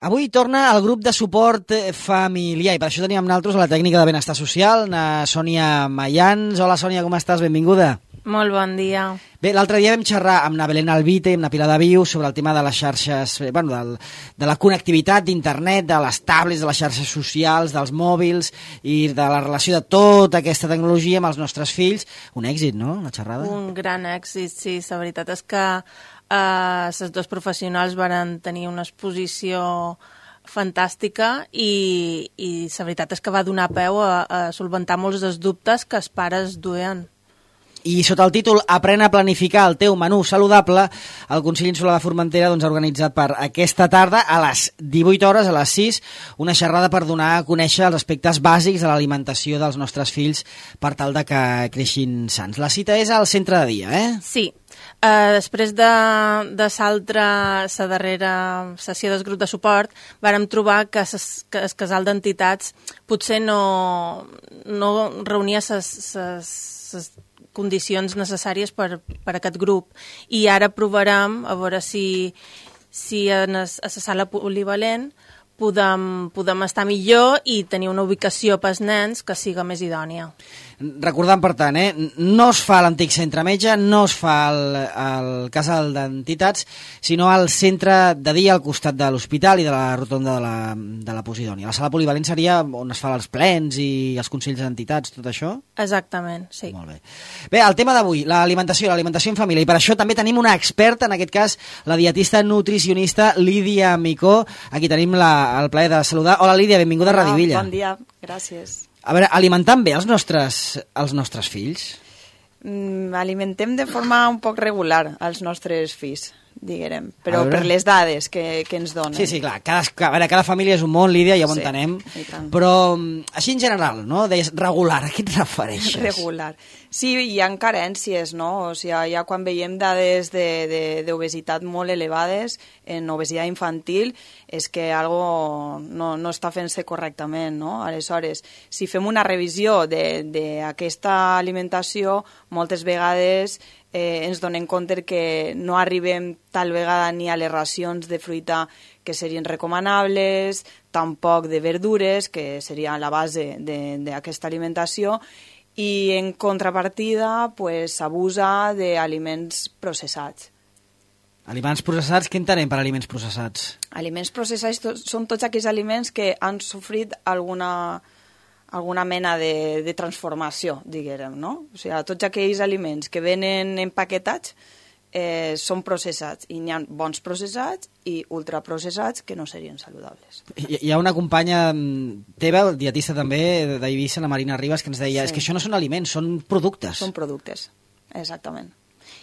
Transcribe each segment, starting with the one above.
Avui torna el grup de suport familiar i per això tenim amb nosaltres a la tècnica de benestar social, na Sònia Mayans. Hola Sònia, com estàs? Benvinguda. Molt bon dia. Bé, l'altre dia vam xerrar amb na Belén Albite i amb na Pilar de Viu sobre el tema de les xarxes, de la connectivitat d'internet, de les tablets, de les xarxes socials, dels mòbils i de la relació de tota aquesta tecnologia amb els nostres fills. Un èxit, no?, la xerrada? Un gran èxit, sí. La veritat és que els dos professionals van tenir una exposició fantàstica i la veritat és que va donar peu a solventar molts dels dubtes que els pares duien. I sota el títol Aprèn a planificar el teu menú saludable, el Consell Insular de Formentera ha organitzat per aquesta tarda a les 18 hores, a les 6, una xerrada per donar a conèixer els aspectes bàsics de l'alimentació dels nostres fills per tal de que creixin sants. La cita és al centre de dia, eh? Sí. Després de la darrera sessió del grup de suport, vàrem trobar que el casal d'entitats potser no reunia les condicions necessàries per aquest grup. I ara provarem a veure si a la sala polivalent podem estar millor i tenir una ubicació pels nens que siga més idònia. Recordant, per tant, no es fa a l'antic centre metge, no es fa al casal d'entitats, sinó al centre de dia al costat de l'hospital i de la rotonda de la Posidònia. La sala polivalent seria on es fan els plens i els consells d'entitats, tot això? Exactament, sí. Molt bé. Bé, el tema d'avui, l'alimentació en família, i per això també tenim una experta, en aquest cas la dietista nutricionista Lídia Micó. Aquí tenim el plaer de saludar. Hola Lídia, benvinguda a Radivilla. Bon dia, gràcies. A veure, alimentant bé els nostres fills? Alimentem de forma un poc regular els nostres fills, diguem, però per les dades que ens donen. Sí, clar, cada família és un món, Lídia, ja ho entenem, però així en general, no? Deies regular, a què et refereixes? Regular. Sí, hi ha carències, no? O sigui, ja quan veiem dades d'obesitat molt elevades, en obesitat infantil, és que algo no està fent-se correctament, no? Aleshores, si fem una revisió d'aquesta alimentació, moltes vegades ens donem compte que no arribem tal vegada ni a les racions de fruita que serien recomanables, tampoc de verdures, que seria la base d'aquesta alimentació, i en contrapartida s'abusa d'aliments processats. Aliments processats, què entenem per aliments processats? Aliments processats són tots aquells aliments que han sofrit alguna mena de transformació, diguem, no? O sigui, tots aquells aliments que venen empaquetats són processats, i n'hi ha bons processats i ultraprocessats que no serien saludables. Hi ha una companya teva, dietista també, d'Eivissa, la Marina Ribas, que ens deia és que això no són aliments, són productes. Són productes, exactament.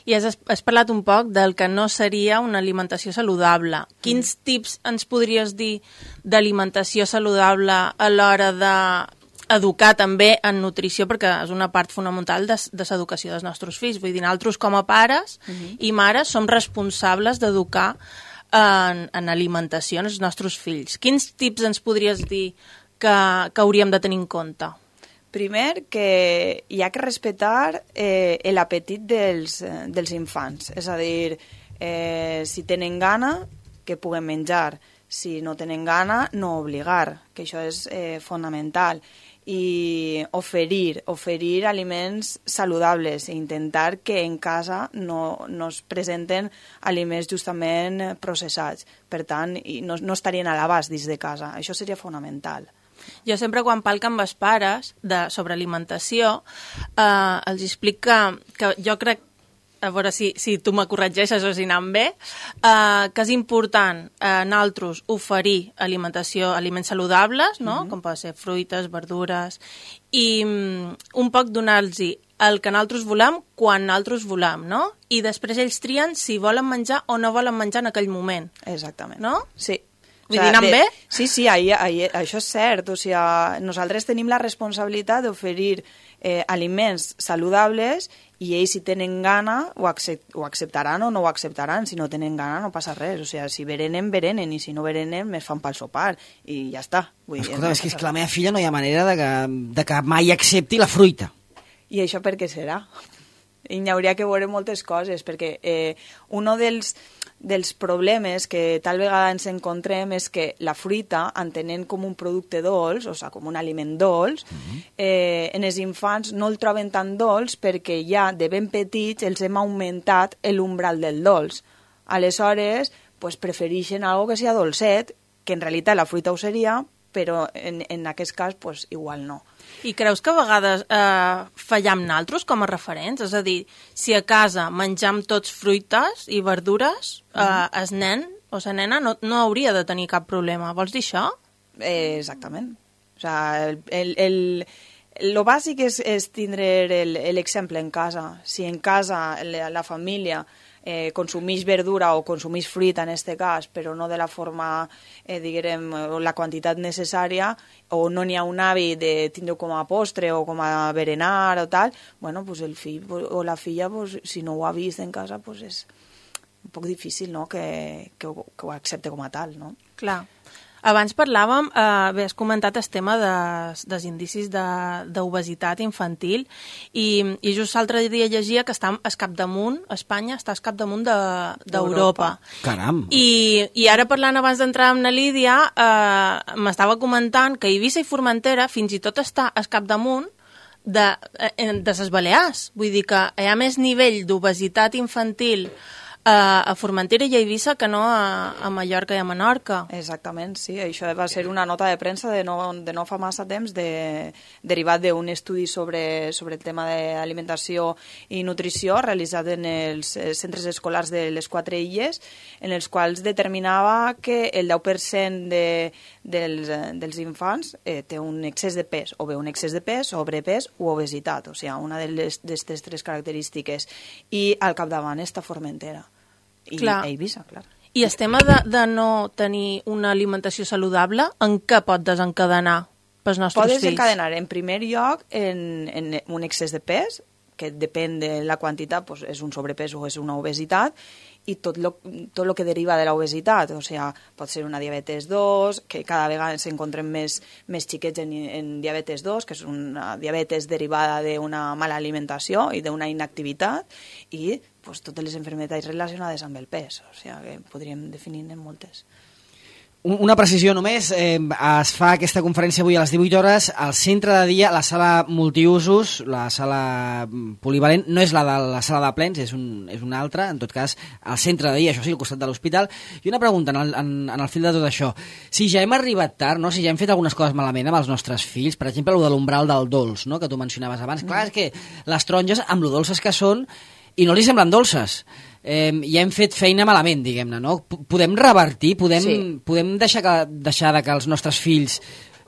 I has parlat un poc del que no seria una alimentació saludable. Quins tips ens podries dir d'alimentació saludable a l'hora d'educar també en nutrició, perquè és una part fonamental de l'educació dels nostres fills. Vull dir, nosaltres com a pares i mares som responsables d'educar en alimentació als nostres fills. Quins tips ens podries dir que hauríem de tenir en compte? Primer, que hi ha que respectar l'apetit dels infants. És a dir, si tenen gana, que puguen menjar. Si no tenen gana, no obligar, que això és fonamental. I oferir aliments saludables i intentar que en casa no es presenten aliments justament processats. Per tant, no estarien a l'abast dins de casa. Això seria fonamental. Jo sempre quan parlo amb els pares sobre alimentació els explico que jo crec, a veure si tu me corregeixes o si anem bé, que és important nosaltres oferir aliments saludables, no? Com poden ser fruites, verdures, i un poc donar-los el que nosaltres volem quan nosaltres volem, no? I després ells trien si volen menjar o no volen menjar en aquell moment. Exactament. No? Sí. Vull dir, anem bé? Sí, això és cert. O sigui, nosaltres tenim la responsabilitat d'oferir aliments saludables i ells, si tenen gana, ho acceptaran o no ho acceptaran. Si no tenen gana, no passa res. O sigui, si berenen, i si no berenen, més fan pel sopar. I ja està. Escolta, és que la meva filla no hi ha manera de que mai accepti la fruita. I això per què serà? I n'hi hauria que veure moltes coses, perquè un dels dels problemes que tal vegada ens encontrem és que la fruita, entenent com un producte dolç, o sigui, com un aliment dolç, en els infants no el troben tan dolç perquè ja de ben petits els hem augmentat l'umbral del dolç. Aleshores, pues, prefereixen algo que sia dolcet, que en realitat la fruita ho seria, però en aquest cas pues, igual no. I creus que a vegades fallam naltros com a referents? És a dir, si a casa menjam tots fruites i verdures, el nen o la nena no hauria de tenir cap problema. Vols dir això? Exactament. O sigui, lo bàsic és tindre l'exemple en casa. Si en casa la família consumeix verdura o consumeix fruita en aquest cas, però no de la forma, diguem, la quantitat necessària, o no n'hi ha un hàbit de tindre com a postre o com a berenar o tal, bueno, pues el fill o la filla, pues, si no ho ha vist en casa, pues és un poc difícil, no?, que ho accepte com a tal, no? Clar. Abans parlàvem, has comentat el tema dels indicis d'obesitat infantil i just l'altre dia llegia que està al capdamunt, Espanya està al capdamunt d'Europa. Caram! I ara parlant abans d'entrar amb la Lídia, m'estava comentant que Eivissa i Formentera fins i tot està al capdamunt de les Balears. Vull dir que hi ha més nivell d'obesitat infantil a Formentera i a Eivissa que no a Mallorca i a Menorca. Exactament, sí. Això va ser una nota de premsa de no fa massa temps derivat d'un estudi sobre el tema d'alimentació i nutrició realitzat en els centres escolars de les 4 illes, en els quals determinava que el 10% dels infants té un excés de pes, o bé un excés de pes, sobrepès o obesitat, o sigui, una d'aquestes 3 característiques. I al capdavant està Formentera. I Eivissa, clar. I el tema de no tenir una alimentació saludable, en què pot desencadenar pels nostres fills? Pot desencadenar, en primer lloc, en un excés de pes, que depèn de la quantitat, doncs és un sobrepès o és una obesitat, i tot lo que deriva de l'obesitat, o sigui, pot ser una diabetes 2, que cada vegada s'encontren més xiquets en diabetes 2, que és una diabetes derivada d'una mala alimentació i d'una inactivitat, i pues, totes les malalties relacionades amb el pes, o sigui, que podríem definir en moltes. Una precisió només, es fa aquesta conferència avui a les 18 hores al centre de dia, la sala multiusos, la sala polivalent, no és la de la sala de plens, és una altra, en tot cas, al centre de dia, això sí, al costat de l'hospital. I una pregunta en el fil de tot això, si ja hem arribat tard, no? Si ja hem fet algunes coses malament amb els nostres fills, per exemple, el de l'umbral del dolç, no? Que tu mencionaves abans, clar, és que les taronges, amb lo dolces que són, i no li semblen dolces, ja hem fet feina malament, diguem-ne, no? Podem revertir, podem deixar de que els nostres fills,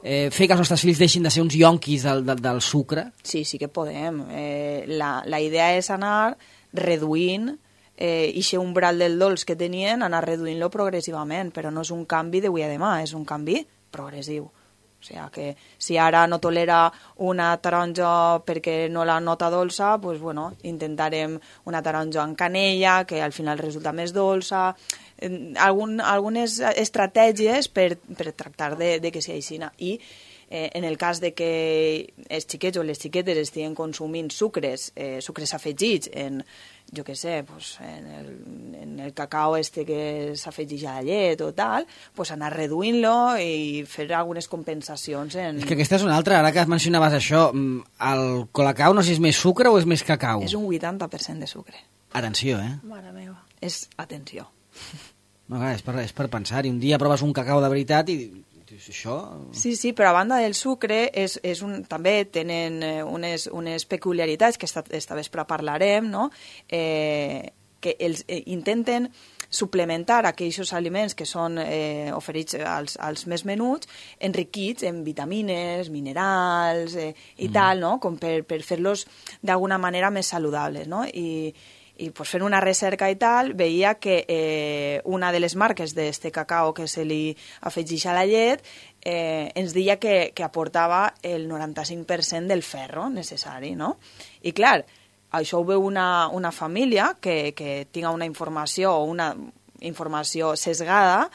fer que els nostres fills deixin de ser uns yonquis del sucre? Sí que podem. La idea és anar reduint aquest umbral del dolç que tenien, anar reduint-lo progressivament, però no és un canvi d'avui a demà, és un canvi progressiu. O sigui que si ara no tolera una taronja perquè no la nota dolça, doncs, bueno, intentarem una taronja amb canella, que al final resulta més dolça, algunes estratègies per tractar de que sigui així. I en el cas de que els xiquets o les xiquetes estiguin consumint sucres afegits en, jo què sé, pues, en el cacau que s'afegeix a la llet o tal, pues anar reduint-lo i fer algunes compensacions. És que aquesta és una altra, ara que mencionaves això, el colacao no sé si és més sucre o és més cacau? És un 80% de sucre. Atenció, Mare meva. És atenció. No, clar, és per pensar-hi. Un dia proves un cacau de veritat i això... Sí, però a banda del sucre també tenen unes peculiaritats que esta vespre parlarem, no? Que els intenten suplementar aquells aliments que són oferits als més menuts, enriquits en vitamines, minerals i tal, no? Com per fer-los d'alguna manera més saludables, no? I pues, fent una recerca i tal, veia que una de les marques d'este cacao que se li afegeix a la llet ens deia que aportava el 95% del ferro necessari, no? I clar, això ho veu una família que tinga una informació o una informació sesgada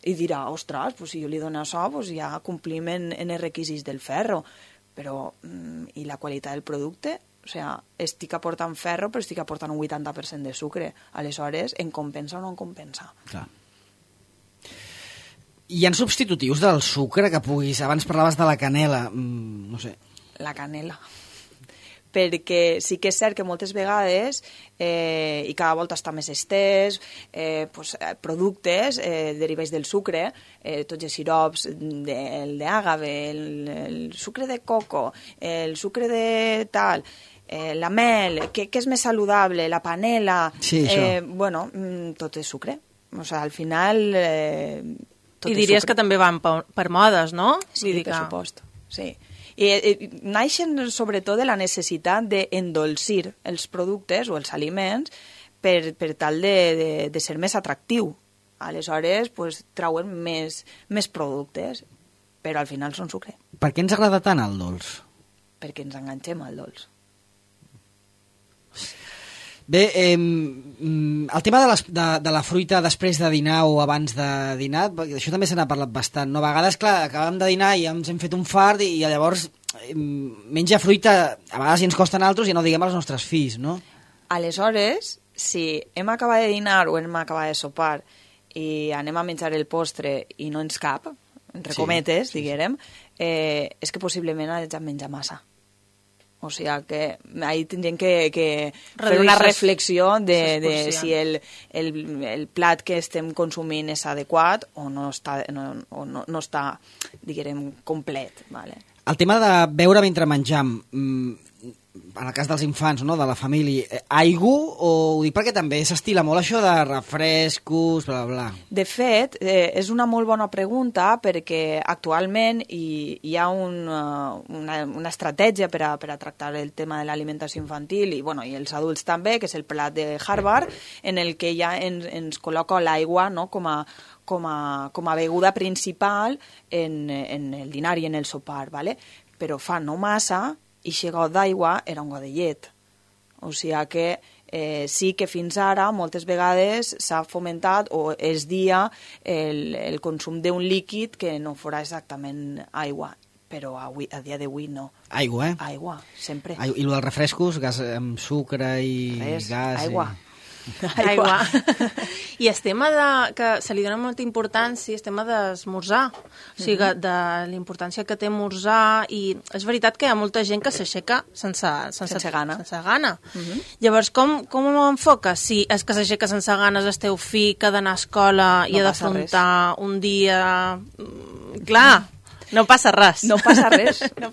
i dirà, ostres, pues, si jo li dono això, pues, ja complim en els requisits del ferro. Però, i la qualitat del producte? O sigui, estic aportant ferro, però estic aportant un 80% de sucre. Aleshores, em compensa o no em compensa? Clar. Hi ha substitutius del sucre que puguis... Abans parlaves de la canela, no sé. La canela. Perquè sí que és cert que moltes vegades, i cada volta està més estès, productes derivats del sucre, tots els sirops, el d'àgave, el sucre de coco, el sucre de tal, la mel, què és més saludable, la panela... Sí, bueno, tot és sucre. O sigui, al final... I diries que també van per modes, no? Sí, per supost, sí. I naixen sobretot de la necessitat d'endolcir els productes o els aliments per tal de ser més atractiu. Aleshores, trauen més productes, però al final són sucre. Per què ens agrada tant el dolç? Perquè ens enganxem al dolç. Bé, el tema de la fruita després de dinar o abans de dinar, això també se n'ha parlat bastant, no? A vegades, clar, acabem de dinar i ja ens hem fet un fart i llavors menja fruita, a vegades ens costa a nosaltres i no diguem als nostres fills, no? Aleshores, si hem acabat de dinar o hem acabat de sopar i anem a menjar el postre i no ens cap, entre cometes, diguem, és que possiblement hem menjat massa. O sigui que ahí tindríem que fer una reflexió de si el plat que estem consumint és adequat o no està diguem, complet. Vale? El tema de beure mentre menjam, en el cas dels infants, no?, de la família, aigua, o ho dic perquè també s'estila molt això de refrescos, bla, bla. De fet, és una molt bona pregunta perquè actualment hi ha una estratègia per a tractar el tema de l'alimentació infantil i els adults també, que és el plat de Harvard, en el que ja ens col·loca l'aigua, no?, com a beguda principal en el dinar i en el sopar, ¿vale? Però fa no massa i aquest got d'aigua era un got de llet. O sigui que sí que fins ara moltes vegades s'ha fomentat o es dia el consum d'un líquid que no fora exactament aigua, però a dia d'avui no. Aigua, Aigua, sempre. I el dels refrescos, gas amb sucre i gas... Aigua. Aigua. I el tema que se li dona molta importància, el tema d'esmorzar, o sigui, de la importància que té esmorzar, i és veritat que hi ha molta gent que s'aixeca sense gana. Llavors, com ho enfoca? Si és que s'aixeca sense ganes el teu fill, que ha d'anar a escola i ha d'afrontar un dia... Clar, no passa res. No passa res. No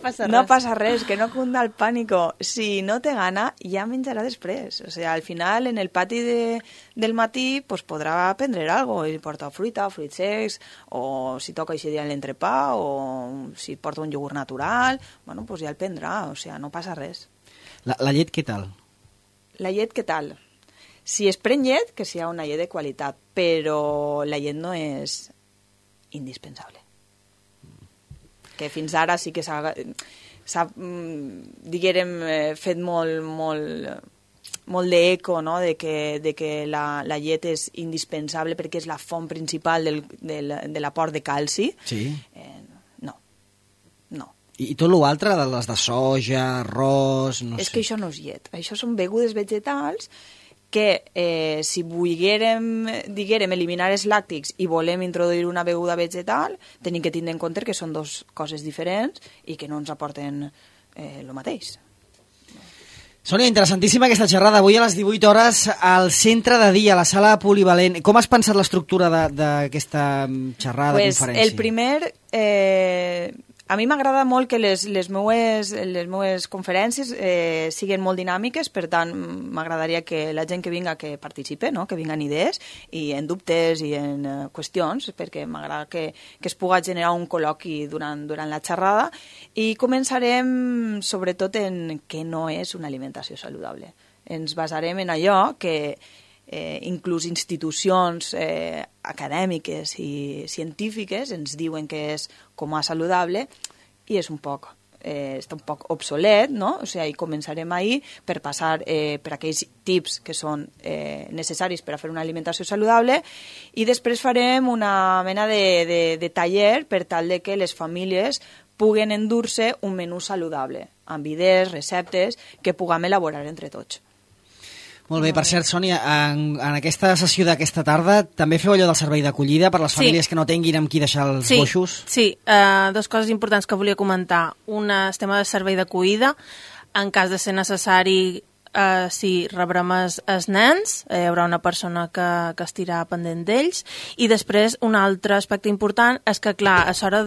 passa res, que no cunda el pànico. Si no té gana, ja menjarà després. O sigui, al final, en el pati del matí, podrà prendre alguna cosa. Si porta fruita, fruits secs, o si toca aquest dia l'entrepà, o si porta un iogurt natural, ja el prendrà. O sigui, no passa res. La llet, què tal? La llet, què tal? Si es pren llet, que sigui una llet de qualitat, però la llet no és indispensable. Que fins ara sí que s'ha diguem, fet molt d'eco, no?, de que la llet és indispensable perquè és la font principal de l'aport de calci. Sí. No. I tot l'altre, les de soja, arròs... És que això no és llet. Això són begudes vegetals que si volguérem, diguérem, eliminar els làctics i volem introduir una beguda vegetal, tenim que tindre en compte que són dues coses diferents i que no ens aporten el mateix. Sònia, interessantíssima aquesta xerrada. Avui a les 18 hores al centre de dia, a la sala polivalent. Com has pensat l'estructura d'aquesta xerrada, conferència? El primer... A mi m'agrada molt que les meues conferències siguin molt dinàmiques, per tant, m'agradaria que la gent que vinga que participe, no?, que vinguen idees i en dubtes i en qüestions, perquè m'agrada que es pugui generar un col·loqui durant la xerrada, i començarem sobretot en què no és una alimentació saludable. Ens basarem en allò que inclús institucions acadèmiques i científiques ens diuen que és com a saludable, i és un poc està un poc obsolet, no? O sigui, començarem ahir per passar per aquells tips que són necessaris per a fer una alimentació saludable i després farem una mena de taller per tal de que les famílies puguen endur-se un menú saludable, amb idees, receptes que puguem elaborar entre tots. Molt bé, per cert, Sònia, en aquesta sessió d'aquesta tarda també feu allò del servei d'acollida per les famílies que no tinguin amb qui deixar els boixos? Sí, dues coses importants que volia comentar. Una, el tema de servei d'acollida. En cas de ser necessari, sí, rebrem els nens, hi haurà una persona que estirà pendent d'ells. I després, un altre aspecte important és que, clar, a l'hora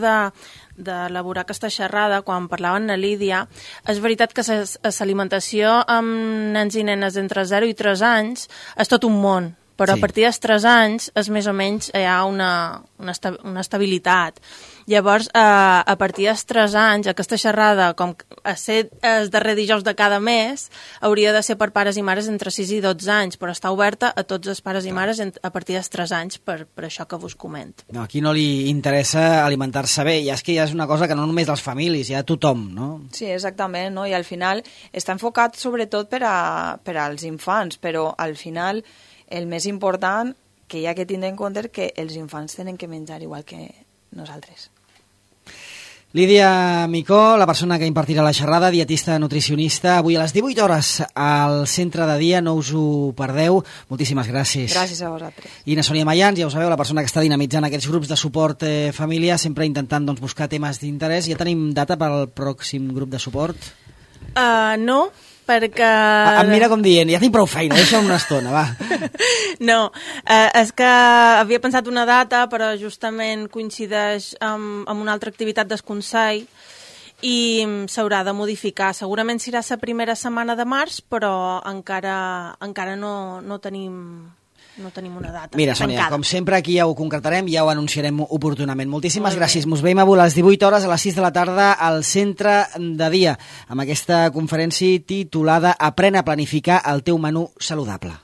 d'elaborar aquesta xerrada, quan parlaven a Lídia, és veritat que l'alimentació amb nens i nenes d'entre 0 i 3 anys és tot un món, però a partir dels 3 anys és més o menys hi ha una estabilitat. Llavors, a partir dels 3 anys, aquesta xerrada, com a ser el darrer dijous de cada mes, hauria de ser per pares i mares entre 6 i 12 anys, però està oberta a tots els pares i mares a partir dels 3 anys, per això que vos comento. No, aquí no li interessa alimentar-se bé, i és que ja és una cosa que no només les famílies, ja tothom, no? Sí, exactament, no? I al final està enfocat sobretot per als infants, però al final el més important que hi ha que tindre en compte que els infants tenen que menjar igual que nosaltres. Lídia Micó, la persona que impartirà la xerrada, dietista nutricionista, avui a les 18 hores al centre de dia, no us ho perdeu. Moltíssimes gràcies. Gràcies a vosaltres. I na Sònia Mayans, ja ho sabeu, la persona que està dinamitzant aquests grups de suport família, sempre intentant buscar temes d'interès. Ja tenim data per al pròxim grup de suport? No, perquè... Em mira com dient, ja tinc prou feina, deixa'm una estona, va. No, és que havia pensat una data, però justament coincideix amb una altra activitat del Consell i s'haurà de modificar. Segurament serà la primera setmana de març, però encara no tenim una data. Mira, Sònia, com sempre aquí ja ho concretarem, ja ho anunciarem oportunament. Moltíssimes gràcies. Mos veiem avui a les 18 hores a les 6 de la tarda al centre de dia amb aquesta conferència titulada Aprèn a planificar el teu menú saludable.